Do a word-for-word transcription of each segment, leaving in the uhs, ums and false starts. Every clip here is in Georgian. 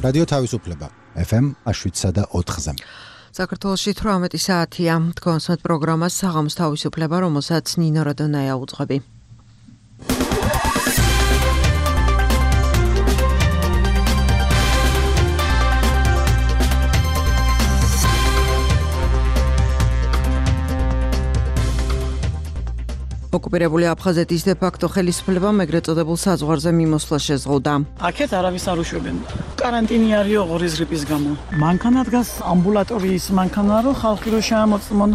რადიო თავისუფლება ეფ ემ შვიდსა და ოთხზე. საქართველოში თვრამეტი საათია. თქვენს პროგრამას საღამოს თავისუფლება, რომელსაც ნინო რადონაია უძღვები. ოკუპირებული აფხაზეთის დე-ფაქტო ხელისუფლებამ ეგრეთ წოდებულ საზღვარზე მიმოსვლა შეზღუდა. აქეთ არავის არ უშვებენ. карантინი არისო ღორის გრიპის გამო. მანქანა დგას ამბულატორიის მანქანა, რომ ხალხი რო შეამოწმონ,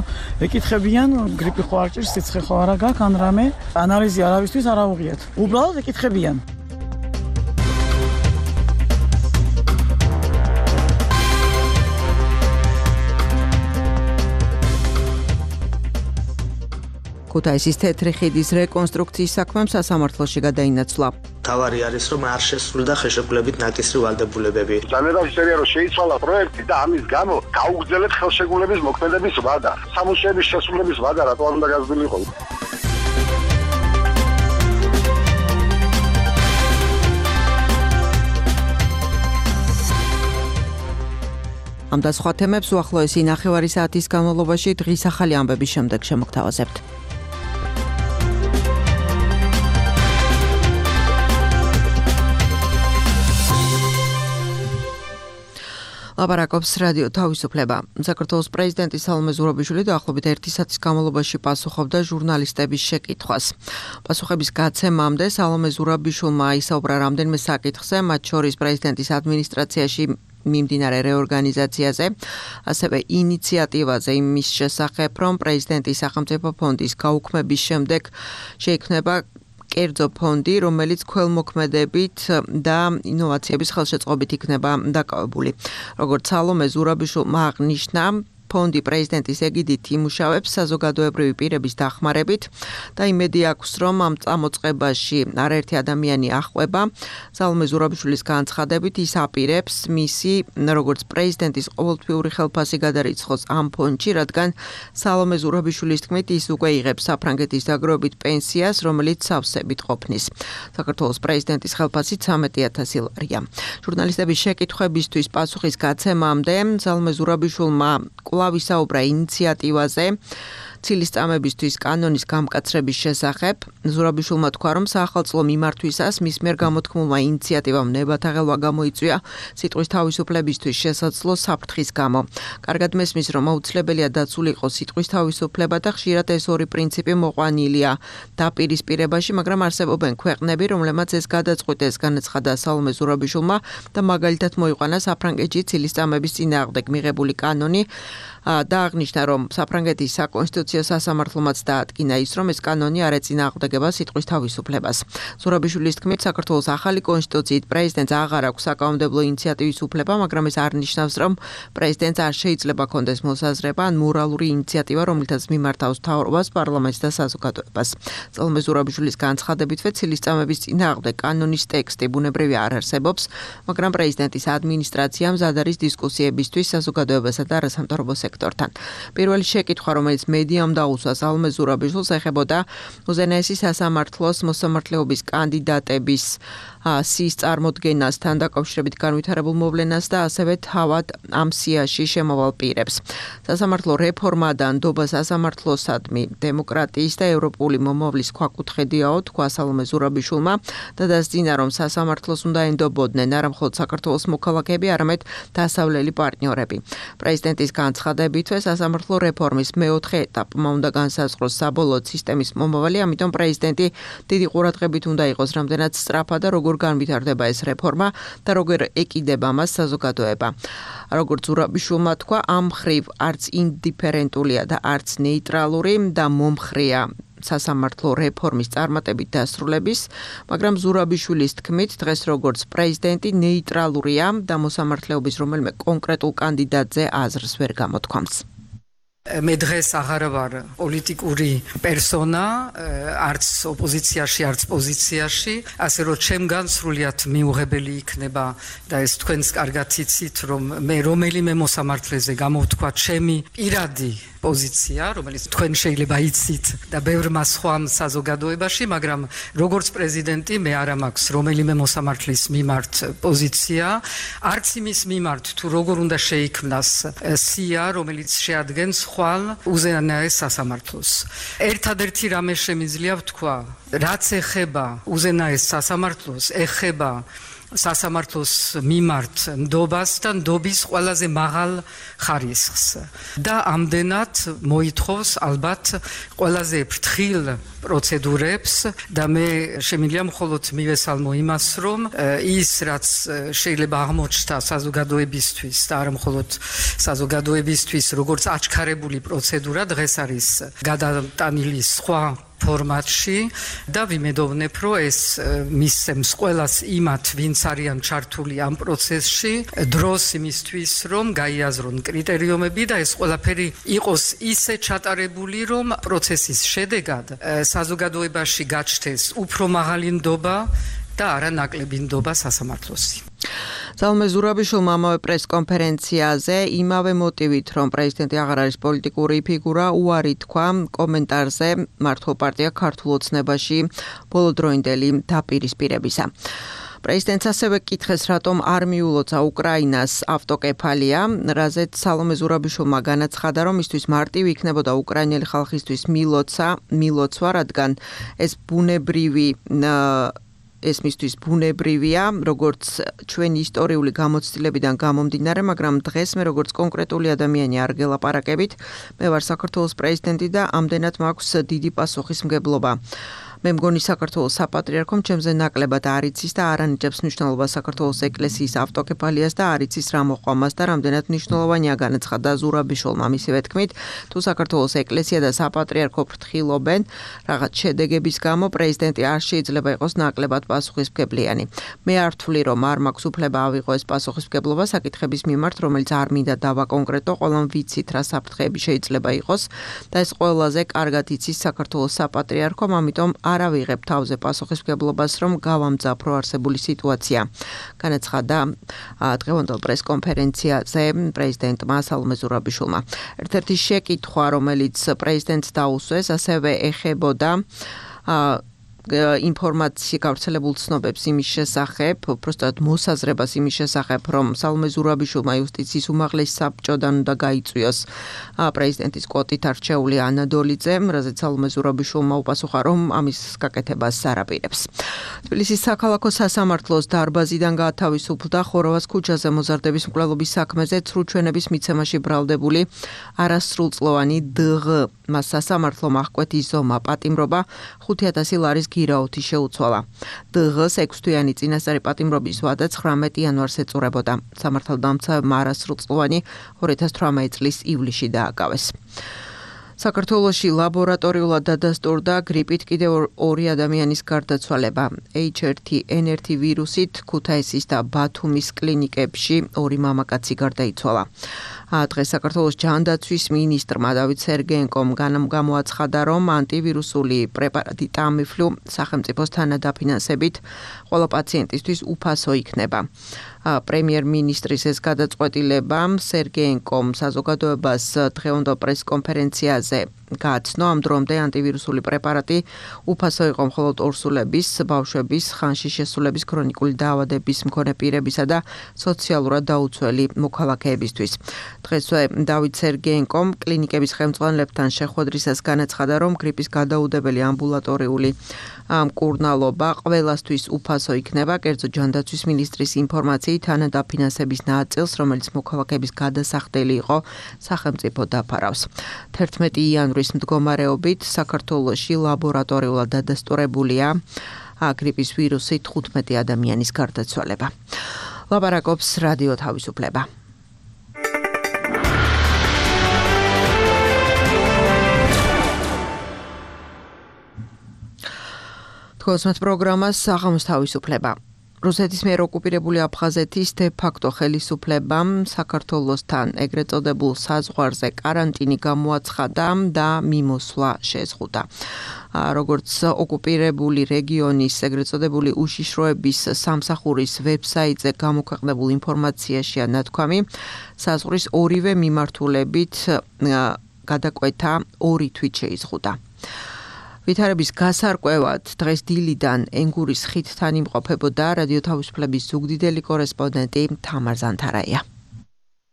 ეკითხებიან, გრიპი ხო არ ჭირს, სიცხე ხო არა გაქვს, ან რამე. ანალიზი არავისთვის არ აუღიათ. უბრალოდ ეკითხებიან. ქუთაისის თეთრი ხიდის რეკონსტრუქციის საქმემ სასამართლოში გადაინაცვლა. თავარი არის, რომ არ შესრულდა ხელშეკრულებით ნაკისრი ვალდებულებები. ძალიან შეიძლება რომ შეიცვალა პროექტი და ამის გამო გაუგრძელეთ ხელშეკრულების მოქმედების ვადა. სამუშაოების შესრულების ვადა რატო არ უნდა გაზრდილიყო? ამ და სხვა თემებს უახლოესი ნახევარი საათის განმავლობაში დღის ახალი ამბების შემდეგ შემოგთავაზებთ. ლაპარაკობს რადიო თავისუფლება. საქართველოს პრეზიდენტი სალომე ზურაბიშვილი დაახლოებით ერთი საათის განმავლობაში პასუხობდა ჟურნალისტების შეკითხვას. პასუხების გაცემამდე სალომე ზურაბიშვილმა ისაუბრა რამდენიმე საკითხზე, მათ შორის პრეზიდენტის ადმინისტრაციაში მიმდინარე რეორგანიზაციაზე, ასევე ინიციატივაზე იმის შესახებ, რომ პრეზიდენტის სახელმწიფო ფონდის გაუქმების შემდეგ შეიქმნება კერძო ფონდი, რომელიც ქველმოქმედებით და ინოვაციების ხელშეწყობით იქნება დაკავებული. როგორც სალომე ზურაბიშვილმა აღნიშნა, ფონდი პრეზიდენტის ეგიდით იმუშავებს საზოგადოებრივი პირების დახმარებით და იმედი აქვს, რომ ამ წამოწყებაში არაერთი ადამიანი აღყვება. სალომე ზურაბიშვილის განცხადებით ის აპირებს მისი როგორც პრეზიდენტის ყოველთვიური ხელფასი გადარიცხოს ამ ფონდში, რადგან სალომე ზურაბიშვილის თქმით ის უკვე იღებს საფრანგეთის დაგროვებით პენსიას, რომელიც სავსებით ყოფნის. საქართველოს პრეზიდენტის ხელფასი ცამეტი ათასი ლარია. ჟურნალისტების შეკითხვებისთვის პასუხის გაცემამდე სალომე ზურაბიშვილმა კვლავ ისაუბრა ინიციატივაზე ცილისწამებისთვის კანონის გამკაცრების შესახებ. ზურაბიშვილმა თქვა, რომ საახალწლო მიმართვისას მის მიერ გამოთქმულმა ინიციატივამ ნებათა ღელვა გამოიწვია სიტყვის თავისუფლებისთვის შესაძლო საფრთხის გამო. კარგად მესმის, რომ აუცილებელია დაცული იყოს სიტყვის თავისუფლება და ხშირად ეს ორი პრინციპი მოყვანილია დაპირისპირებაში, მაგრამ არსებობენ ქვეყნები, რომლებმაც ეს გადაწყვიტეს, განაცხადა სალომე ზურაბიშვილმა და მაგალითად მოიყვანა საფრანგეთში ცილისწამების წინააღმდეგ მიღებული კანონი და აღნიშნა, რომ საფრანგეთის საკონსტიტუციო სასამართლომაც დაადგინა ის, რომ ეს კანონი არ ეწინააღმდეგება სიტყვის თავისუფლებას. ზურაბიშვილის თქმით, საქართველოს ახალი კონსტიტუციით პრეზიდენტს აღარ აქვს საკანონმდებლო ინიციატივის უფლება, მაგრამ ეს არ ნიშნავს, რომ პრეზიდენტს არ შეიძლება კონდეს მოსაზრება ან მორალური ინიციატივა, რომლითაც მიმართავს მთავრობას, პარლამენტს და საზოგადოებას. სალომე ზურაბიშვილის განცხადებითვე ცილისწამების წინააღმდეგ კანონის ტექსტი ბუნებრივი არ არსებობს, მაგრამ პრეზიდენტის ადმინისტრაცია მზად არის დისკუსიებისთვის საზოგადოებასა და არასამთავრობო სექტორთან. პირველი შეკითხვა, რომელიც მედიამ დაუსვა სალომე ზურაბიშვილს, ეხებოდა უზენაესი სასამართლოს მოსამართლეობის კანდიდატების სიის წარმოდგენასთან დაკავშირებით განვითარებულ მოვლენას და ასევე თავად ამ სიაში შემავალ პირებს. სასამართლო რეფორმა და ნდობა სასამართლოსადმი დემოკრატიის და ევროპული მომავლის ქვაკუთხედიაო, თქვა სალომე ზურაბიშვილმა და დასძინა, რომ სასამართლოს უნდა ენდობოდნენ არა მხოლოდ საქართველოს მოქალაქეები, არამედ დასავლელი პარტნიორები. პრეზიდენტის განცხადებითვე სასამართლო რეფორმის მეოთხე ეტაპმა უნდა განსაზღვროს საბოლოოდ სისტემის მომავალი, ამიტომ პრეზიდენტი დიდი ყურადღებით უნდა იყოს, რამდენად სწრაფად და როგორ განვითარდება ეს რეფორმა და როგორ ეკიდება მას საზოგადოება. როგორც ზურაბიშვილმა თქვა, ამ მხრივ არც ინდიფერენტულია და არც ნეიტრალური და მომხრეა სასამართლო რეფორმის წარმატებით დასრულების, მაგრამ ზურაბიშვილის თქმით, დღეს როგორც პრეზიდენტი ნეიტრალურია და მოსამართლეობის რომელიმე კონკრეტულ კანდიდატზე აზრს ვერ გამოთქვამს. მე დღეს აღარ ვარ პოლიტიკური პერსონა, არც ოპოზიციაში, არც პოზიციაში, ასე რომ ჩემგან სრულიად მიუღებელი იქნება და ეს თქვენს კარგად იცით, რომ მე რომელიმე მოსამართლეზე გამოვთქვა ჩემი პირადი პოზიცია, რომელიც თქვენ შეიძლება იცით და ბევრმა სხვამ საზოგადოებაში, მაგრამ როგორც პრეზიდენტი მე არ მაქვს რომელიმე მოსამართლის მიმართ პოზიცია, არც იმის მიმართ თუ როგორ უნდა შეიქმნას სია, რომელიც შეადგენს ხვალ უზენაეს სასამართლოს. ერთადერთი რამე შემიძლია ვთქვა, რაც ეხება უზენაეს სასამართლოს, ეხება სასამართლოს მიმართ ნდობას და ნდობის ყველაზე მაღალ ხარისხს და ამდენად მოითხოვს ალბათ ყველაზე ფრთხილ პროცედურებს და მე შემიძლია მხოლოდ მივესალმო იმას, რომ ის რაც შეიძლება აღმოჩნდა საზოგადოებისთვის და არა მხოლოდ საზოგადოებისთვის როგორც აჩქარებული პროცედურა დღეს არის გადატანილი სხვა ფორმატში და ვიმედოვნებ, რომ ეს მისცემს ყველას იმათ, ვინც არიან ჩართული ამ პროცესში, დროს იმისთვის, რომ გაიაზრონ კრიტერიუმები და ეს ყველაფერი იყოს ისე ჩატარებული, რომ პროცესის შედეგად საზოგადოებაში გაჩნდეს უფრო მაღალი ნდობა და არა ნაკლები ნდობა სასამართლოსი. სალომე ზურაბიშვილმა ამავე პრესკონფერენციაზე იმავე მოტივით, რომ პრეზიდენტი აღარ არის პოლიტიკური ფიგურა, უარი თქვა კომენტარზე მართლ პარტია ქართულ ოცნებაში ბოლოდროინდელი დაპირისპირებისა. პრეზიდენტს ასევე კითხეს, რატომ არ მიულოცა უკრაინას ავტოკეფალია, რაზეც სალომე ზურაბიშვილმა განაცხადა, რომ მისთვის მარტივი იქნებოდა უკრაინელი ხალხისთვის მილოცა, მილოცვა, რადგან ეს ბუნებრივი ეს მისთვის ბუნებრივია, როგორც ჩვენი ისტორიული გამოცდილებიდან გამომდინარე, მაგრამ დღეს მე როგორც კონკრეტული ადამიანი არ გელაპარაკებით, მე ვარ საქართველოს პრეზიდენტი და ამდენად მაქვს დიდი პასუხისმგებლობა. მე მგონი საქართველოს საპატრიარქომ ჩემზე ნაკლებად არ იცის და არ ანიჭებს მნიშვნელობას საქართველოს ეკლესიის ავტოკეფალიას და არ იცის რა მოყვამას და რამდენად მნიშვნელოვანია, განაცხადა ზურაბიშვილმა მისივე თქმით, თუ საქართველოს ეკლესია და საპატრიარქო ფრთხილობენ რაღაც შედეგების გამო, პრეზიდენტი არ შეიძლება იყოს ნაკლებად პასუხისმგებლიანი. მე არ ვთვლი, რომ არ მაქვს უფლება ავიღო ეს პასუხისმგებლობა საკითხების მიმართ, რომელიც არ მინდა დავაკონკრეტო, ყველამ ვიცით რა საფრთხეები შეიძლება იყოს და ეს ყველაზე კარგად იცის საქართველოს საპატრიარქომ, ამიტომ არ ავიღებ თავზე პასუხისმგებლობას, რომ გავამძაფრო არსებული სიტუაცია. განაცხადა დღევანდელ პრესკონფერენციაზე პრეზიდენტმა სალომე ზურაბიშვილმა. ერთ-ერთი შეკითხვა, რომელიც პრეზიდენტს დაუსვეს, ასევე ეხებოდა ინფორმაცია გავრცელებულ ცნობებს იმის შესახებ, უბრალოდ მოსაზრებას იმის შესახებ, რომ სალომე ზურაბიშვილმა იუსტიციის უმაღლეს საბჭოდან უნდა გაიწვიოს პრეზიდენტის კვოტით არჩეული ანა დოლიძე, რაზეც სალომე ზურაბიშვილმა უპასუხა, რომ ამის გაკეთებას არ აპირებს. თბილისის საქალაქო სასამართლოს დარბაზიდან გაათავისუფლდა ხოროვას ქუჩაზე მოზარდების მკვლელობის საქმეზე ცრუჩვენების მიცემაში ბრალდებული არასრულწლოვანი დღ. მას სასამართლომ აღკვეთი ზომა პატიმრობა ხუთი ათასი ლარის გირაოთი შეუცვალა. დღ-ს ექვსთვიანი წინასწარი პატიმრობის ვადა ცხრამეტი იანვარს ეწურებოდა. სამართალდამცავებმა არასრულწლოვანი ორი ათას თვრამეტი წლის ივლისში დააკავეს. საქართველოში ლაბორატორიულად დადასტურდა გრიპით კიდევ ორი ადამიანის გარდაცვალება. ეიჩ ერთი ენ ერთი ვირუსით ქუთაისის და ბათუმის კლინიკებში ორი მამაკაცი გარდაიცვალა. დღეს საქართველოს ჯანდაცვის მინისტრმა დავით სერგეენკომ გამოაცხადა, რომ ანტივირუსული პრეპარატი ტამიფლუ სახელმწიფოს თანადაფინანსებით ყველა პაციენტისთვის უფასო იქნება. პრემიერ-მინისტრის ეს გადაწყვეტილება სერგეენკომ საზოგადოებას დღევანდელ პრესკონფერენციაზე გააცნო, ამ დრომდე ანტივირუსული პრეპარატი უფასო იყო მხოლოდ ორსულების, ბავშვების, ხანში შესულების ქრონიკული დაავადების მქონე პირებისა და სოციალურად დაუცველი მოქალაქეებისთვის. დღესვე დავით სერგეენკომ კლინიკების ხელმძღვანელებთან შეხვედრისას განაცხადა, რომ გრიპის გადაუდებელი ამბულატორიული მკურნალობა ყველასთვის უფასო იქნება, კერძო ჯანდაცვის მინისტრის ინფორმაციით თანადაფინანსების ნაწილს, რომელიც მოქალაქეების გადასახდელი იყო, სახელმწიფო დაფარავს. თერთმეტი იანვრის მდგომარეობით საქართველოში ლაბორატორიულად დადასტურებულია გრიპის ვირუსით თხუთმეტი ადამიანის გარდაცვალება. ლაპარაკობს რადიო თავისუფლება. თქოსმეთ პროგრამას საღამოს თავისუფლება. რუსეთის მიერ ოკუპირებული აფხაზეთის დე-ფაქტო ხელისუფლებამ საქართველოსთან ეგრეთ წოდებულ საზღვარზე კარანტინი გამოაცხადა და მიმოსვლა შეზღუდა. როგორც ოკუპირებული რეგიონის ეგრეთ წოდებული უშიშროების სამსახურის ვებსაიტზე გამოქვეყნებულ ინფორმაციაშია ნათქვამი, საზღვრის ორივე მიმართულებით გადაკვეთა ორი თვით შეიზღუდა. ვითარების გასარკვევად დღეს დილიდან ენგურის ხიდთან იმყოფებოდა რადიო თავისუფლების ზუგდიდელი კორესპონდენტი თამარ ზანთარაია.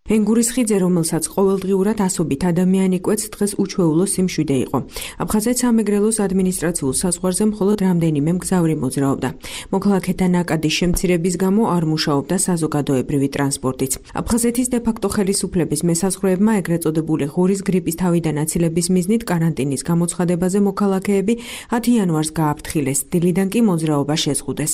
ენგურის ხიდზე, რომელსაც ყოველდღიურად ასობით ადამიანი კვეთს, დღეს უჩვეულო სიმშვიდე იყო. აფხაზეთ სამეგრელოს ადმინისტრაციულ საზღვარზე მხოლოდ რამდენიმე მგზავრი მოძრაობდა. მოქალაქეთა ნაკადის შემცირების გამო არ მუშაობდა საზოგადოებრივი ტრანსპორტიც. აფხაზეთის დე-ფაქტო ხელისუფლების მესაზღვრეებმა ეგრეთ წოდებული ღორის გრიპის თავიდან აცილების მიზნით კარანტინის გამოცხადებაზე მოქალაქეები ათი იანვარს გააფრთხილეს, დილიდან კი მოძრაობა შეზღუდეს.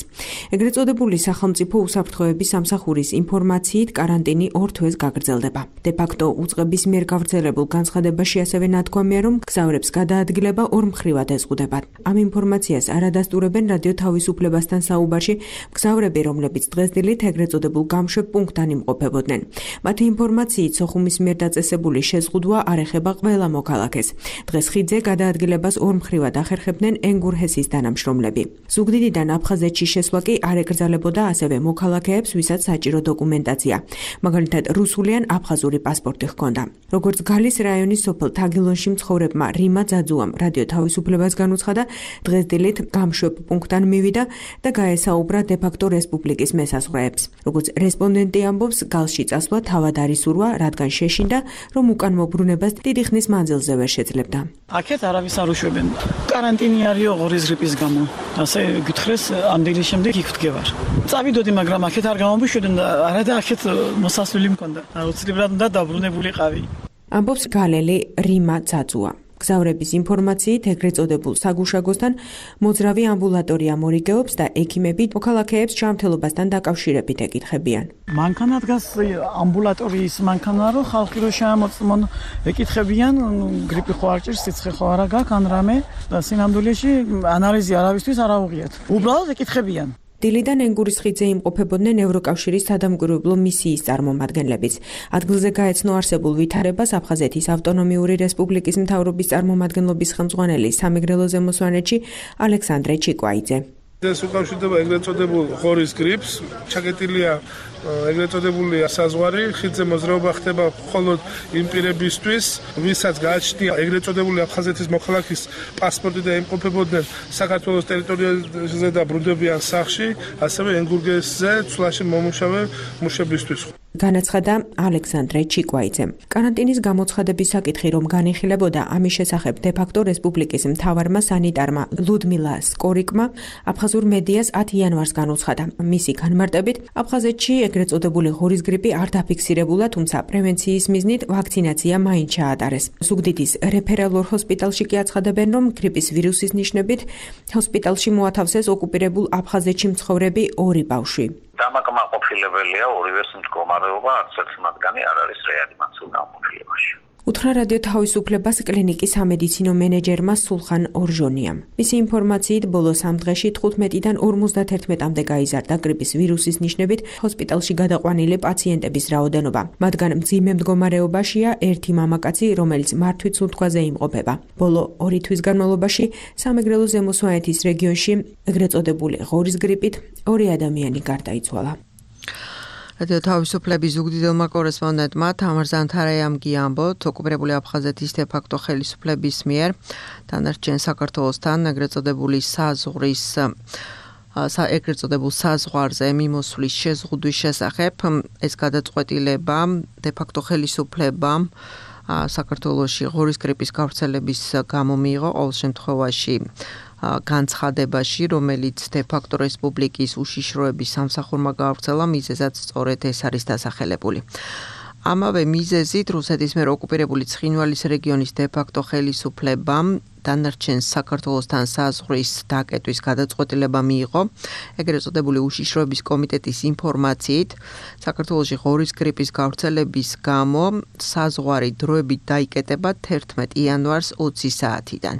ეგრეთ წოდებული სახელმწიფო უსაფრთხოების სამსახურის ინფორმაციით კარანტინი ორ თვეს გაგრძელდა. დე-ფაქტო უწყების მიერ გავრცელებულ განცხადებაში ასევე ნათქვამია, რომ მგზავრებს გადაადგილება ორ მხრივად ეზღუდებათ. ამ ინფორმაციას არადასტურებენ რადიო თავისუფლებასთან საუბარში მგზავრები, რომლებიც დღესდილით ეგრეთ წოდებულ გამშვებ პუნქტთან იმყოფებოდნენ. მათი ინფორმაციით სოხუმის მიერ დაწესებული შეზღუდვა არ ეხება ყველა მოქალაქეს. დღეს ხიდზე გადაადგილებას ორ მხრივად ახერხებდნენ ენგურ-ჰესის თანამშრომლები. ზუგდიდიდან აფხაზეთში შესვლა კი არ ეკრძალებოდა ასევე მოქალაქეებს, ვისაც საჭირო დოკუმენტაცია, მაგალითად რუსული აფხაზური პასპორტი ჰქონდა. როგორც გალის რაიონის სოფელ თაგილონში მცხოვრებმა რიმა ძაძუამ რადიო თავისუფლებას განუცხადა, დღეს დილით გამშვებ პუნქტთან მივიდა და გაესაუბრა დე-ფაქტო რესპუბლიკის მესაზღვრეებს. როგორც რესპონდენტი ამბობს, გალში წასვლა თავად არ ისურვა, რადგან შეშინდა, რომ უკან მობრუნებას დიდი ხნის მანძილზე ვერ შეძლებდა. აქეთ არავის არ უშვებენ. კარანტინი არისო ღორის გრიპის გამო. ასე გითხრეს, ამ დილის შემდეგ იქ ვდგევარ. წავიდოდი, მაგრამ აქეთ არ გამომიშვებდნენ და არა და აქეთ მოსასვლელი მქონდა. აუცილებლად უნდა დაბრუნებულიყავი. ამბობს გალელი რიმა ძაძუა. მგზავრების ინფორმაციით ეგრეთ წოდებულ საგუშაგოსთან მოძრავი ამბულატორია მორიგეობს და ექიმები მოქალაქეებს ჯანმრთელობასთან დაკავშირებით ეკითხებიან. მანქანა დგას ამბულატორიის მანქანა, რომ ხალხი რო შეამოწმონ, ეკითხებიან გრიპი ხო არ ჭირს, სიცხე ხო არა გაქვს, ან რამე და სინამდვილეში ანალიზი არავისთვის არ აუღიათ. უბრალოდ ეკითხებიან. დილიდან ენგურის ხიდზე იმყოფებოდნენ ევროკავშირის სადამკვირვებლო მისიის წარმომადგენლებიც. ადგილზე გაეცნო არსებულ ვითარებას აფხაზეთის ავტონომიური რესპუბლიკის მთავრობის წარმომადგენლობის ხელმძღვანელი სამეგრელო ზემოსვანეთში ალექსანდრე ჩიკვაიძე. ეს უკავშირდება ეგრეთ წოდებულ ღორის გრიპს, ჩაკეტილია ეგრეთ წოდებული საზღვარი, ხიდზე მოძრაობა ხდება მხოლოდ იმ პირებისთვის, ვისაც გააჩნია ეგრეთ წოდებული აფხაზეთის მოქალაქის პასპორტი და იმყოფებოდნენ საქართველოს ტერიტორიაზე და ბრუნდებიან სახლში, ასევე ენგურგესზე ცვლაში მომუშავე მუშებისთვის. განაცხადა ალექსანდრე ჩიკვაიძემ. კარანტინის გამოცხადების საკითხი რომ განიხილებოდა, ამის შესახებ დე-ფაქტო რესპუბლიკის მთავარმა სანიტარმა ლუდმილა სკორიკმა აფხაზურ მედიას ათი იანვარს განუცხადა. მისი განმარტებით, აფხაზეთში ეგრეთ წოდებული ღორის გრიპი არ დაფიქსირებულა, თუმცა პრევენციის მიზნით ვაქცინაცია მაინც ჩაატარეს. ზუგდიდის რეფერალურ ჰოსპიტალში კი აცხადებენ, რომ გრიპის ვირუსის ნიშნებით ჰოსპიტალში მოათავსეს ოკუპირებულ აფხაზეთში მცხოვრები ორი ბავშვი. დამაკმაყოფილებელია ორივეს მდგომარეობა, არც ერთი მათგანი არ არის რეანიმაციულ გამოფილებაში. უთხრა რადიო თავისუფლებას კლინიკის სამედიცინო მენეჯერმა სულხან ორჟონიამ. მისი ინფორმაციით, ბოლო სამ დღეში თხუთმეტიდან ორმოცდაათერთმეტამდე გაიზარდა გრიპის ვირუსის ნიშნებით ჰოსპიტალში გადაყვანილი პაციენტების რაოდენობა. მათგან მძიმე მდგომარეობაშია ერთი მამაკაცი, რომელიც მართვით სუნთქვაზე იმყოფება. ბოლო ორი თვის განმავლობაში სამეგრელო ზემოსვანეთის რეგიონში ეგრეთ წოდებული ღორის გრიპით ორი ადამიანი გარდაიცვალა. რადიო თავისუფლების ზუგდიდელმა კორესპონდენტმა თამარ ზანთარაიამ გიამბოთ, ოკუპირებული აფხაზეთის დე-ფაქტო ხელისუფლების მიერ დანარჩენ საქართველოსთან ეგრეთ წოდებული საზღვრის ეგრეთ წოდებულ საზღვარზე მიმოსვლის შეზღუდვის შესახებ. ეს გადაწყვეტილება დე-ფაქტო ხელისუფლებამ საქართველოში ღორის გრიპის გავრცელების გამო მიიღო, ყოველ შემთხვევაში განცხადებაში, რომელიც დე-ფაქტო რესპუბლიკის უშიშროების სამსახურმა გაავრცელა, მიზეზად სწორედ ეს არის დასახელებული. ამავე მიზეზით რუსეთის მიერ ოკუპირებული ცხინვალის რეგიონის დე-ფაქტო ხელისუფლებამ დანარჩენ საქართველოსთან საზღვრის დაკეტვის გადაწყვეტილება მიიღო. ეგრეთ წოდებული უშიშროების კომიტეტის ინფორმაციით, საქართველოში ღორის გრიპის გავრცელების გამო საზღვარი დროებით დაიკეტება თერთმეტ იანვარს ოცი საათიდან.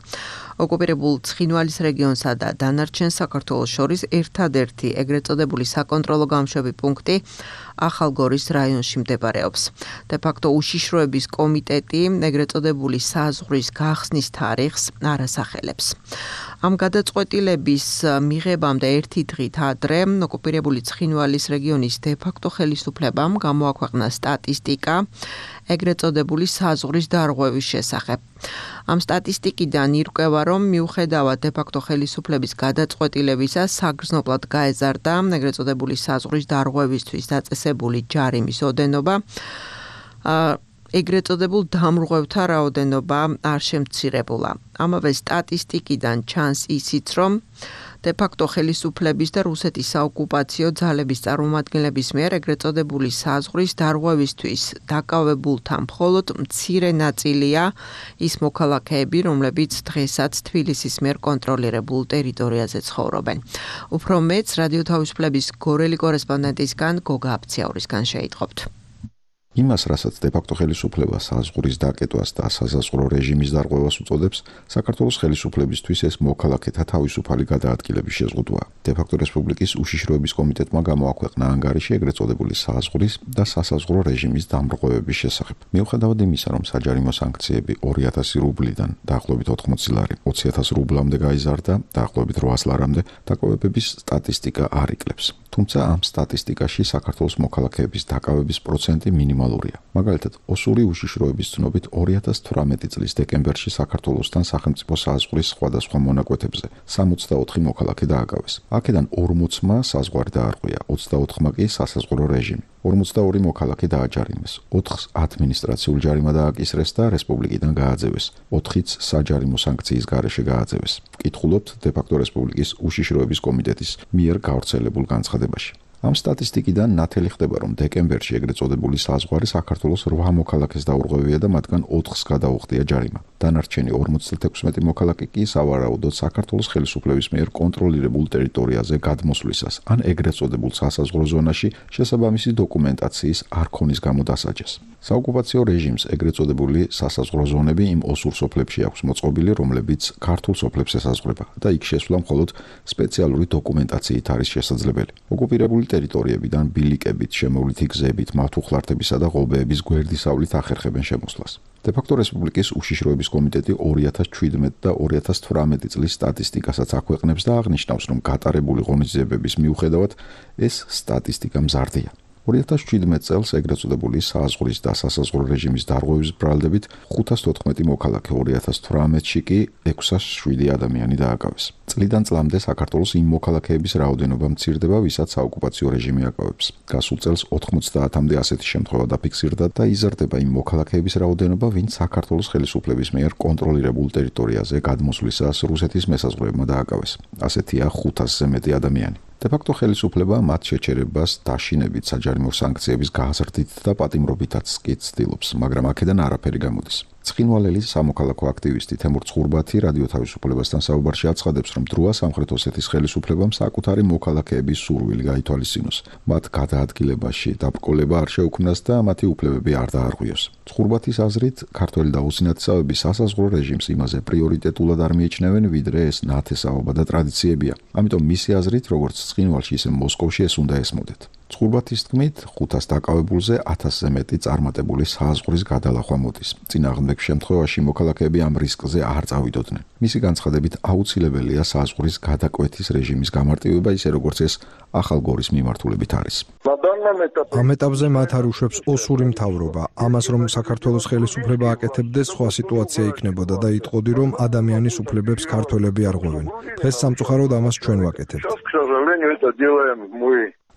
ოკუპირებულ ცხინვალის რეგიონსა და დანარჩენ საქართველოს შორის ერთადერთი ეგრეთ წოდებული საკონტროლო გამშვები პუნქტი ახალგორის რაიონში მდებარეობს. დე-ფაქტო უშიშროების კომიტეტი ეგრეთ წოდებული საზღვრის გახსნის თარიღს არასახელებს. ამ გადაწყვეტილების მიღებამდე ერთი დღით ადრე ოკუპირებული ცხინვალის რეგიონის დე-ფაქტო ხელისუფლებამ გამოაქვეყნა სტატისტიკა ეგრეთ წოდებული საზღვრის დარღვევის შესახებ. ამ სტატისტიკიდან ირკვევა, რომ მიუხედავად დე-ფაქტო ხელისუფლების გადაწყვეტილებისა, საგრძნობლად გაეზარდა ეგრეთ წოდებული საზღვრის დარღვევისთვის დაწესებული ჯარიმის ოდენობა. ეგრეთ წოდებულ დამრღვევთა რაოდენობა არ შემცირებულა. ამავე სტატისტიკიდან ჩანს ისიც, რომ დე-ფაქტო ხელისუფლების და რუსეთის საოკუპაციო ძალების წარმომადგენლების მიერ ეგრეთ წოდებული საზღვრის დარღვევისთვის დაკავებულთა მხოლოდ მცირე ნაწილია ის მოქალაქეები, რომლებიც დღესაც თბილისის მიერ კონტროლირებულ ტერიტორიაზე ცხოვრობენ. უფრო მეც რადიო თავისუფლების გორელი კორესპონდენტისგან გოგა აფციაურისგან შეიტყობთ. იმას, რასაც დე-ფაქტო ხელისუფლება საზღვრის დაკეტვას და სასაზღვრო რეჟიმის დარღვევას უწოდებს, საქართველოს ხელისუფლებისთვის ეს მოქალაქეთა თავისუფალი გადაადგილების შეზღუდვაა. დე-ფაქტო რესპუბლიკის უშიშროების კომიტეტმა გამოაქვეყნა ანგარიში ეგრეთ წოდებული საზღვრის და სასაზღვრო რეჟიმის დამრღვევების შესახებ. მიუხედავად იმისა, რომ საჯარიმო სანქციები ორი ათასი რუბლიდან დაახლოებით ოთხმოცი ლარი ოცი ათას რუბლამდე გაიზარდა, დაახლოებით რვაას ლარამდე, დაკავებების სტატისტიკა არ იკლებს. თუმცა ამ სტატისტიკაში საქართველოს მოქალაქეების დაკავების პროცენტი მინიმალურია. მაგალითად, ოსური უშიშროების ცნობით ორი ათას თვრამეტი წლის დეკემბერში საქართველოსთან სახელმწიფო საზღვრის სხვადასხვა მონაკვეთებზე სამოცდაოთხი მოქალაქე დააკავეს. აქედან ორმოცმა საზღვარი დაარღვია, ოცდაოთხმა კი სასაზღვრო რეჟიმი. ორმოცდაორი მოქალაქე დააჯარიმეს, ოთხს ადმინისტრაციულ ჯარიმა დააკისრეს და რესპუბლიკიდან გააძევეს, ოთხიც საჯარიმო სანქციის გარეშე გააძევეს. ვკითხულობთ დე-ფაქტო რესპუბლიკის უშიშროების კომიტეტის მიერ გავრცელებულ განცხადებაში. ამ სტატისტიკიდან ნათელი ხდება, რომ დეკემბერში ეგრეთ წოდებული საზღვარი საქართველოს რვა მოქალაქეს დაურღვევია და მათგან ოთხს გადაუხდია ჯარიმა. დანარჩენი ორმოცდათექვსმეტი მოქალაქე კი სავარაუდოდ საქართველოს ხელისუფლების მიერ კონტროლირებულ ტერიტორიაზე გადმოსვლისას ან ეგრეთ წოდებულ სასაზღვრო ზონაში შესაბამისი დოკუმენტაციის არ ქონის გამო დასაჯეს. საოკუპაციო რეჟიმს ეგრეთ წოდებული სასაზღვრო ზონები იმ ოსურ სოფლებში აქვს მოწყობილი, რომლებიც ქართულ სოფლებს ესაზღვრება და იქ შესვლა მხოლოდ სპეციალური დოკუმენტაციით არის შესაძლებელი. ოკუპირებული ტერიტორიებიდან ბილიკებით, შემოვლითი გზებით, მართუხლართებისა და ღობეების გვერდისავლით ახერხებენ შემოსვლას. დე-ფაქტო რესპუბლიკის უშიშროების კომიტეტი ორი ათას ჩვიდმეტი და ორი ათას თვრამეტი წლის სტატისტიკასაც აქვეყნებს და აღნიშნავს, რომ გატარებული ღონისძიებების მიუხედავად ეს სტატისტიკა მზარდია. ორი ათას ჩვიდმეტი წელს ეგრეთ წოდებული საზღვრის და სასაზღვრო რეჟიმის დარღვევის ბრალდებით ხუთას თოთხმეტი მოქალაქე, ორი ათას თვრამეტში კი ექვსას შვიდი ადამიანი დააკავეს. წლიდან წლამდე საქართველოს იმ მოქალაქეების რაოდენობა მცირდება, ვისაც საოკუპაციო რეჟიმი აკავებს. გასულ წელს ოთხმოცდაათამდე ასეთი შემთხვევა დაფიქსირდა და იზრდება იმ მოქალაქეების რაოდენობა, ვინც საქართველოს ხელისუფლების მიერ კონტროლირებულ ტერიტორიაზე გადმოსვლისას რუსეთის მესაზღვრეებმა დააკავეს. ასეთია ხუთასზე მეტი ადამიანი. დე-ფაქტო ხელისუფლება მათ შეჩერებას დაშინებით საჯარიმო სანქციების გაზრდით და პატიმრობითაც კი ცდილობს, მაგრამ აქედან არაფერი გამოდის. ცხინვალელის სამოქალაქო აქტივისტი თემურ ცხურბათი რადიო თავისუფლებასთან საუბარში აცხადებს, რომ დროა სამხრეთ ოსეთის ხელისუფლებამ საკუთარი მოქალაქეების სურვილი გაითვალისწინოს, მათ გადაადგილებაში დაბრკოლება არ შეუქმნას და მათი უფლებები არ დაარღვიოს. ცხურბათის აზრით, ქართველი და უსინათესავები სასაზღვრო რეჟიმს იმაზე პრიორიტეტულად არ მიიჩნევენ, ვიდრე ეს ნათესაობა და ტრადიციებია. ამიტომ მისი აზრით, როგორც ცხინვალში, ისე მოსკოვში ეს უნდა ესმოდეთ. ცხურბათის თქმით, ხუთას დაკავებულზე ათასზე მეტი წარმატებული საზღვრის გადალახვა მოდის. წინააღმდეგ შემთხვევაში მოქალაქეები ამ რისკზე არ წავიდოდნენ. მისი განცხადებით, აუცილებელია საზღვრის გადაკვეთის რეჟიმის გამარტივება, ისე როგორც ეს ახალგორის მიმართულებით არის. ამ ეტაპზე მათ არ უშვებს ოსური მთავრობა. ამას რომ საქართველოს ხელისუფლება აკეთებდეს, სხვა სიტუაცია იქნებოდა და იტყოდი, რომ ადამიანის უფლებებს ქართველები არღვევენ. დღეს სამწუხაროდ ამას ჩვენ ვაკეთებთ.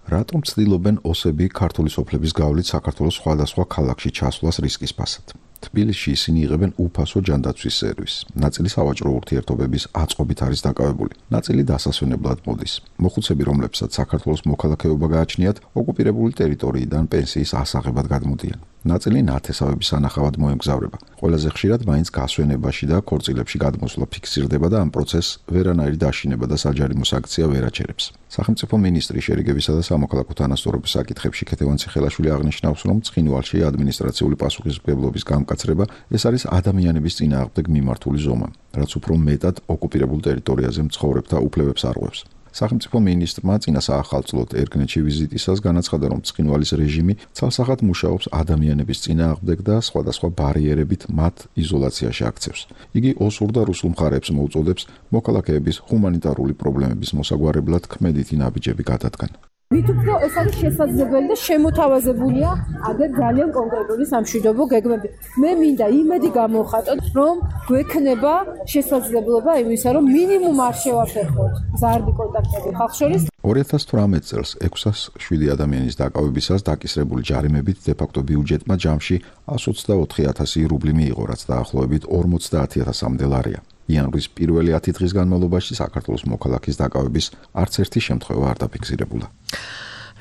რატომ ცდილობენ ოსები ქართული სოფლების გავლით საქართველოს სხვადასხვა ქალაქში ჩასვლას რისკის ფასად? თბილისში ისინი იღებენ უფასო ჯანდაცვის სერვისს. ნაწილი სავაჭრო ურთიერთობების აწყობით არის დაკავებული. ნაწილი დასასვენებლად მოდის. მოხუცები, რომლებსაც საქართველოს მოქალაქეობა გააჩნიათ, ოკუპირებული ტერიტორიიდან პენსიის ასაღებად გადმოდიან. ნაწილი ნათესავების სანახავად მოემგზავრება. ყველაზე ხშირად მაინც გასვენებაში და ქორწილებში გადმოსვლა ფიქსირდება და ამ პროცესს ვერანაირი დაშინება და საჯარიმო სანქცია ვერ აჩერებს. სახელმწიფო მინისტრი შერიგებისა და სამოქალაქო თანასწორობის საკითხებში ქეთევან ციხელაშვილი აღნიშნავს, რომ ცხინვალში ადმინისტრაციული პასუხისმგებლობის გამკაცრება ეს არის ადამიანების წინააღმდეგ მიმართული ზომა, რაც უფრო მეტად ოკუპირებულ ტერიტორიაზე მცხოვრებთა უფლებებს არღვევს. სახელმწიფო მინისტრმა წინა საახალწლოდ ერგნეთში ვიზიტისას განაცხადა, რომ ცხინვალის რეჟიმი ცალსახად მუშაობს ადამიანების წინააღმდეგ და სხვადასხვა ბარიერებით მათ იზოლაციაში აქცევს. იგი ოსურ და რუსულ მხარეებს მოუწოდებს მოქალაქეების ჰუმანიტარული პრობლემების მოსაგვარებლად ქმედითი ნაბიჯები გადადგან. ვით უფრო ეს არის შესაძლებელი და შემოთავაზებულია აგერ ძალიან კონკრეტული სამშვიდობო გეგმები. მე მინდა იმედი გამოვხატოთ, რომ გვექნება შესაძლებლობა იმისა, რომ მინიმუმ არ შევაფერხოთ ზარდი კონტაქტები ხალხს შორის. ორი ათას თვრამეტ წელს ექვსას შვიდი ადამიანის დაკავებისას დაკისრებული ჯარიმებით დე-ფაქტო ბიუჯეტმა ჯამში εκατს ოცდაოთხი ათასი რუბლი მიიღო, რაც დაახლოებით ორმოცდაათი ათასამდე ლარია. იანვრის პირველი ათი დღის განმავლობაში საქართველოს მოქალაქის დაკავების არც ერთი შემთხვევა არ დაფიქსირებულა.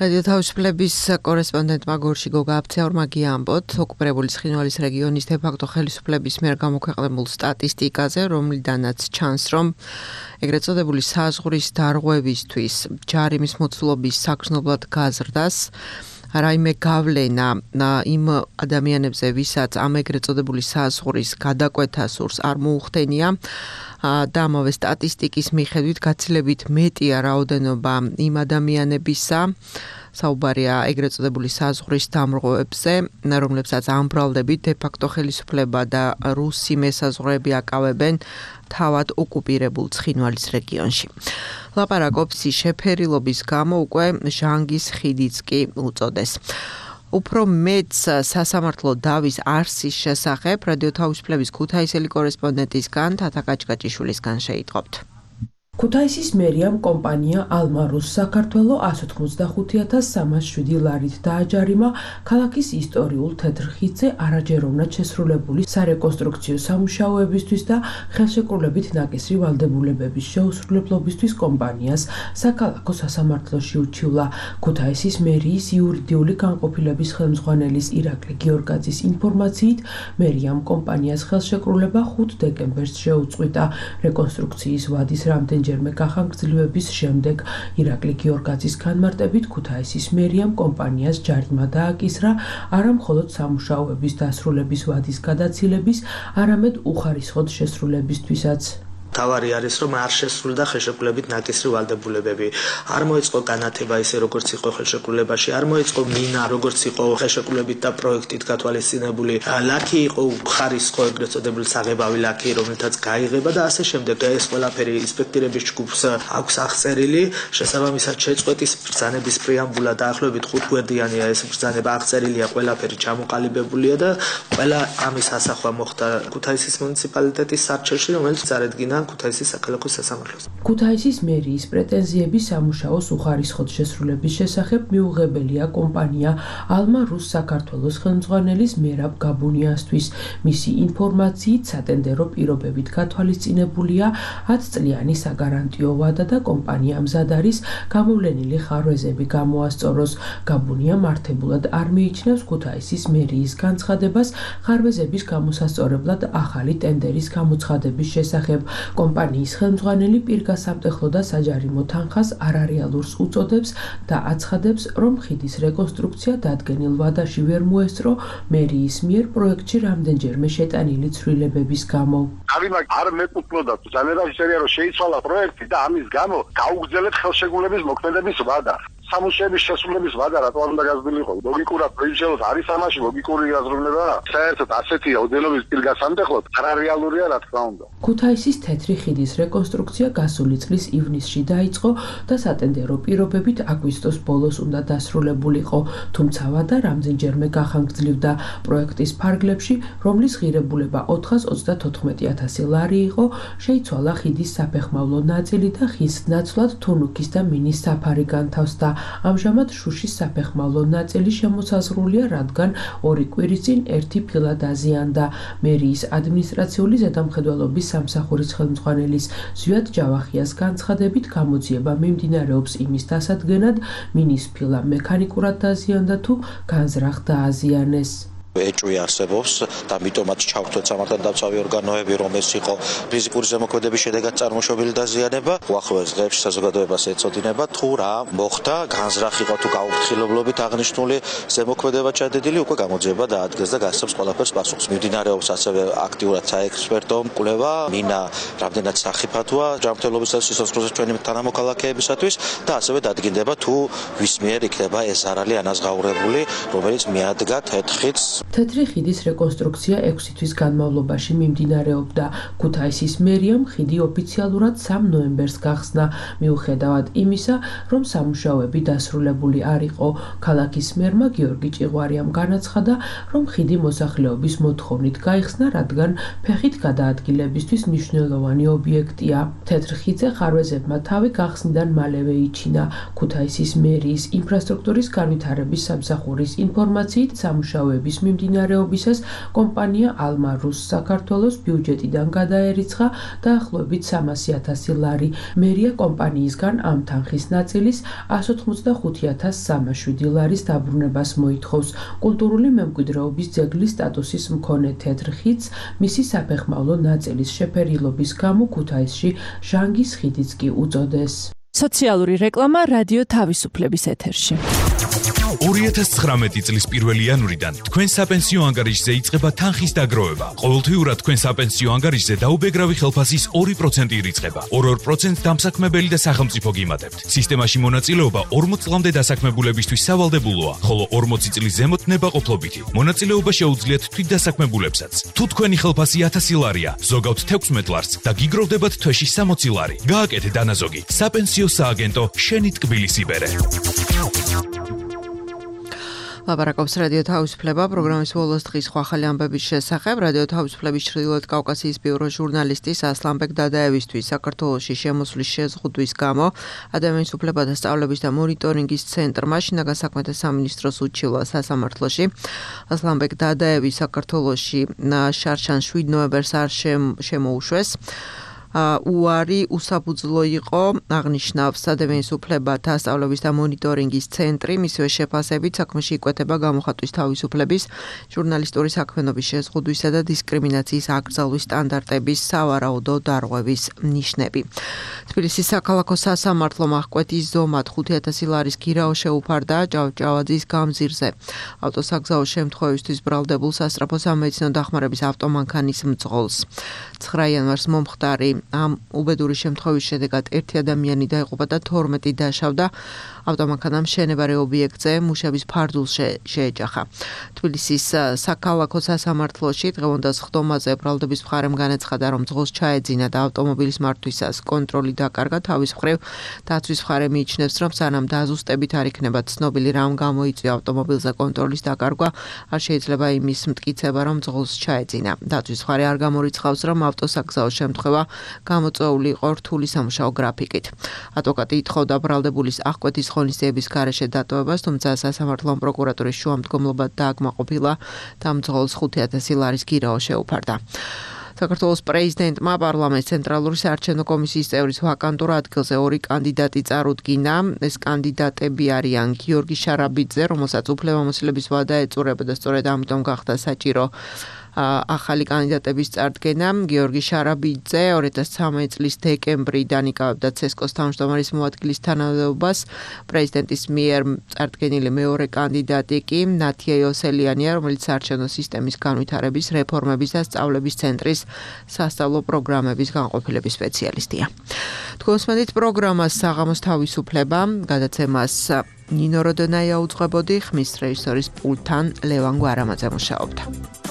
რადიო თავისუფლების კორესპონდენტმა გორში გოგა აბცეორმა გიამბოთ, ოკუპირებული ცხინვალის რეგიონის დე-ფაქტო ხელისუფლების მიერ გამოქვეყნებულ სტატისტიკაზე, რომლიდანაც ჩანს, რომ ეგრეთ წოდებული საზღვრის დარღვევისთვის ჯარიმის მოცულობის საგრძნობლად გაზრდას რაიმე გავლენა იმ ადამიანებზე, ვისაც ამ ეგრეთ წოდებული საზღვრის გადაკვეთა სურს არ მოუხდენია და ამავე სტატისტიკის მიხედვით გაცილებით მეტია რაოდენობა იმ ადამიანებისა, საუბარია ეგრეთ წოდებული საზღვრის დამრღვევებზე, რომლებსაც ამბრალდებით დე-ფაქტო ხელისუფლება და რუსი მესაზღვრეები აკავებენ თავად ოკუპირებულ ცხინვალის რეგიონში. ლაპარაკობს შეფერილობის გამო უკვე ჟანგის ხიდიც კი უწოდეს. უფრო მეც სასამართლო დავის არსის შესახებ რადიო თავისუფლების ქუთაისელი კორესპონდენტისგან თათა კაჭკაჭიშვილისგან შეიტყობთ. ქუთაისის მერიამ კომპანია ალმარუს საქართველო εκατს ოცდახუთი ათას სამას შვიდი ლარით დააჯარიმა ქალაქის ისტორიულ თეთრ ხიდზე არაჯეროვნად შესრულებული სარეკონსტრუქციო სამუშაოებისთვის და ხელშეკრულებით ნაკისრი ვალდებულებების შეუსრულებლობისთვის კომპანიას საქალაქო სასამართლოში ურჩივლა. ქუთაისის მერიის იურიდიული განყოფილების ხელმძღვანელის ირაკლი გიორგაძის ინფორმაციით, მერიამ კომპანიას ხელშეკრულება ხუთ დეკემბერს შეუწყვიტა. რეკონსტრუქციის ვადის რამდენ ჯერმე გახანგრძლივების შემდეგ ირაკლი გიორგაძის განმარტებით ქუთაისის მერიამ კომპანიას ჯარიმა დააკისრა არა მხოლოდ სამუშაოების დასრულების ვადის გადაცილების, არამედ უხარისხოდ შესრულებისთვისაც. თავარი არის, რომ არ შესრულდა ხელშეკრულებით ნაკისრი ვალდებულებები. არ მოეწყო განათება ისე როგორც იყო ხელშეკრულებაში, არ მოეწყო მინა როგორც იყო ხელშეკრულებით და პროექტით გათვალისწინებული. ლაქი იყო ხარისხო ეგრეთ წოდებული საღებავი ლაქი, რომელთაც გაიღება და ასე შემდეგ. ეს ყველაფერი ინსპექტორების ჯგუფს აქვს აღწერილი, შესაბამისად შეწყვეტის ბრძანების პრეამბულა დაახლოებით ხუთგვერდიანია ეს ბრძანება აღწერილია, ყველაფერი ჩამოყალიბებულია და ყველა ამის ასახვა მოხდა ქუთაისის მუნიციპალიტეტის სარჩელში, რომელიც წარედგინა ქუთაისის საქალაქო სასამართლოს. ქუთაისის მერიის პრეტენზიები სამუშაოს უხარისხოდ შესრულების შესახებ მიუღებელია კომპანია ალმა რუს საქართველოს ხელმძღვანელის მერაბ გაბუნიასთვის. მისი ინფორმაციით სატენდერო პირობებით გათვალისწინებულია ათწლიანი საგარანტიო ვადა და კომპანია მზად არის გამოვლენილი ხარვეზები გამოასწოროს. გაბუნია მართებულად არ მიიჩნევს ქუთაისის მერიის განცხადებას ხარვეზების გამოსასწორებლად ახალი ტენდერის გამოცხადების შესახებ. კომპანიის ხელმძღვანელი პირგასამტეხლო და საჯარიმო თანხას არარეალურს უწოდებს და აცხადებს, რომ ხიდის რეკონსტრუქცია დადგენილ ვადაში ვერ მოესწრო მერიის მიერ პროექტში რამდენჯერმე შეტანილი ცვლილებების გამო. არივა არ მეკუთვნოდა ძალებაში წერია, რომ შეიცვალა პროექტი და ამის გამო გაუგრძელეთ ხელშეკრულების მოქმედების ვადა. სამუშაოების შესრულების ვადა რატო არ უნდა გაზრდილიყო? ლოგიკურად პრინციპად არის ამაში ლოგიკური აზროვნება. საერთოდ ასეთია ოდენობის პირგასამტეხლოდ არარეალურია რა თქმა უნდა. ქუთაისის თეთრი ხიდის რეკონსტრუქცია გასული წლის ივნისში დაიწყო და სატენდერო პირობებით აგვისტოს ბოლოს უნდა დასრულებულიყო, თუმცა ვადა რამდენჯერმე გახანგრძლივდა. პროექტის ფარგლებში, რომლის ღირებულება ოთხას ოცდათოთხმეტი ათასი ლარი იყო, შეიცვალა ხიდის საფეხმავლო ნაწილი და ხის ნაცვლად თუნუქის და მინის საფარი განთავსდა. ამჟამად შუშის საფეხმავლო ნაწილი შემოსაზღვრულია, რადგან ორი კვირის წინ ერთი ფილა დაზიანდა. მერიის ადმინისტრაციული ზედამხედველობის სამსახურის ხელმძღვანელის ზვიად ჯავახიას განცხადებით, გამოძიება მიმდინარეობს იმის დასადგენად, მინის ფილა მექანიკურად დაზიანდა თუ განზრახ დააზიანეს. ეჭვი არსებობს და ამიტომაც ჩავთვლეთ სამართალ დამცავი ორგანოები, რომ ეს იყო ფიზიკური ზემოქმედების შედეგად წარმოშობილი დაზიანება. უახლოეს დღეებში საზოგადოებას ეწოდინება თუ რა მოხდა, განზრახ იყო თუ გაუფრთხილებლობით აღნიშნული ზემოქმედება ჩადენილი, უკვე გამოძიება დაადგეს და გასცემს ყველაფერს პასუხს. მიმდინარეობს ასევე აქტიურად საექსპერტო კვლევა, მინა რამდენად სახიფათოა ჯანმრთელობისას სიცოცხლეზე ჩვენი თანამოქალაქეებისათვის და ასევე დადგინდება თუ ვის მიერ იქნება ეს ზარალი ანაზღაურებული, რომელიც მიადგა თეთხიც. თეთრი ხიდის რეკონსტრუქცია ექვსი თვის განმავლობაში მიმდინარეობდა. ქუთაისის მერიამ ხიდი ოფიციალურად სამ ნოემბერს გახსნა, მიუხედავად იმისა, რომ სამუშაოები დასრულებული არ იყო. ქალაქის მერმა გიორგი ჭიღვარიამ განაცხადა, რომ ხიდი მოსახლეობის მოთხოვნით გაიხსნა, რადგან ფეხით გადაადგილებისთვის მნიშვნელოვანი ობიექტია. თეთრ ხიდზე ხარვეზებმა თავი გახსნიდან მალევე იჩინა. ქუთაისის მერიის ინფრასტრუქტურის განვითარების სამსახურის ინფორმაციით სამუშაოების მიმდინარეობისას კომპანია ალმა რუს საქართველოს ბიუჯეტიდან გადაერიცხა დაახლოებით სამასი ათასი ლარი. მერია კომპანიისგან ამ თანხის ნაწილის ასი ოცდახუთი ათას სამას შვიდი ლარის დაბრუნებას მოითხოვს. კულტურული მემკვიდრეობის ძეგლის სტატუსის მქონე თეთრ ხიდს მისი საფეხმავლო ნაწილის შეფერილობის გამო ქუთაისში ჟანგის ხიდიც კი უწოდეს. სოციალური რეკლამა რადიო თავისუფლების ეთერში. ორი ათას ცხრამეტი წლის პირველი იანვრიდან თქვენ საპენსიო ანგარიშზე იწყება თანხის დაგროვება. ყოველთვიურად თქვენ საპენსიო ანგარიშზე დაუბეგრავი ხელფასის ორი პროცენტი ირიცხება. ორ-ორ პროცენტს დამსაქმებელი და სახელმწიფო გიმატებთ. სისტემაში მონაწილეობა ორმოც წლამდე დასაქმებულებისთვის სავალდებულოა, ხოლო ორმოცი წლის ზემოთ ნებაყოფლობითი. მონაწილეობა შეუძლიათ თვითდასაქმებულებსაც. თუ თქვენი ხელფასი ათასი ლარია, ზოგავთ თექვსმეტ ლარს და გიგროვდებათ თვეში სამოცი ლარი. გააკეთეთ დანაზოგი. საპენსიო სააგენტო შენი ტკბილის იბერე. ლაპარაკობს რადიო თავისუფლება პროგრამის ბოლოს დღის სხვა ახალი ამბების შესახებ. რადიო თავისუფლების ჩრდილოეთ კავკასიის ბიუროს ჟურნალისტის ასლანბეკ დადაევისთვის საქართველოში შემოსვლის შეზღუდვის გამო ადამიანის უფლებათა სწავლების და მონიტორინგის ცენტრმა შინაგან საქმეთა სამინისტროს უჩივლა სასამართლოში. ასლანბეკ დადაევი საქართველოში შარშან შვიდ ნოემბერს არ შემოუშვეს. უარი უსაფუძვლო იყო, აღნიშნავს ადამიანის უფლებათა სწავლების და მონიტორინგის ცენტრი, მისივე შეფასებით საქმეში იკვეთება გამოხატვის თავისუფლების, ჟურნალისტური საქმიანობის შეზღუდვისა და დისკრიმინაციის აკრძალვის სტანდარტების სავარაუდო დარღვევის ნიშნები. თბილისის საქალაქო სასამართლომ აღკვეთის ზომად ხუთი ათასი ლარის გირაო შეუფარდა ჭავჭავაძის გამზირზე. ავტოსაგზაო შემთხვევისთვის ბრალდებულ სასწრაფო სამედიცინო დახმარების ავტომანქანის მძღოლს. ცხრა იანვარს მომხდარი ამ უბედური შემთხვევის შედეგად ერთი ადამიანი დაიღუპა და თორმეტი დაშავდა. ავტომანქანამ მშენებარე ობიექტზე მუშების ფარდულს შეეჯახა. თბილისის საქალაქო სასამართლოში დღევანდელ სხდომაზე ბრალდების მხარემ განაცხადა, რომ მძღოლს ჩაეძინა და ავტომობილის მართვისას კონტროლი დაკარგა. თავის მხრივ დაცვის მხარე მიიჩნევს, რომ სანამ დაზუსტებით არ იქნება ცნობილი, რამ გამოიწვია ავტომობილზე კონტროლის დაკარგვა, არ შეიძლება იმის მტკიცება, რომ მძღოლს ჩაეძინა. დაცვის მხარე არ გამორიცხავს, რომ ავტოსაგზაო შემთხვევა გამოწვეული იყო რთული სამუშაო გრაფიკით. ადვოკატი ითხოვდა ბრალდებულის აღკვეთის ღონისძიების გარეშე დატოვებას, თუმცა სასამართლომ პროკურატურის შუამდგომლობა დააკმაყოფილა და მძღოლს ხუთი ათასი ლარის გირაო შეუფარდა. საქართველოს პრეზიდენტმა პარლამენტის ცენტრალური საარჩევნო კომისიის წევრის ვაკანტურ ადგილზე ორი კანდიდატი წარუდგინა. ეს კანდიდატები არიან გიორგი შარაბიძე, რომელსაც უფლებამოსილების ვადა ეწურება და სწორედ ამიტომ გახდა საჭირო ახალი კანდიდატების წარდგენა. გიორგი შარაბიძე ორი ათას ცხრამეტი წლის დეკემბრიდან იკავებდა ცესკოს თავმჯდომარის მოადგილის თანამდებობას. პრეზიდენტის მიერ წარდგენილი მეორე კანდიდატი კი ნათია იოსელიანია, რომელიც საარჩევნო სისტემის განვითარების, რეფორმების და სწავლების ცენტრის სასწავლო პროგრამების განყოფილების სპეციალისტია. თქვენს მედით პროგრამას საღამოს თავისუფლება გადაცემას ნინო როდონაია უძღვებოდი, ხმის რეჟისორის პულტთან ლევან გვარამაძე მუშაობდა.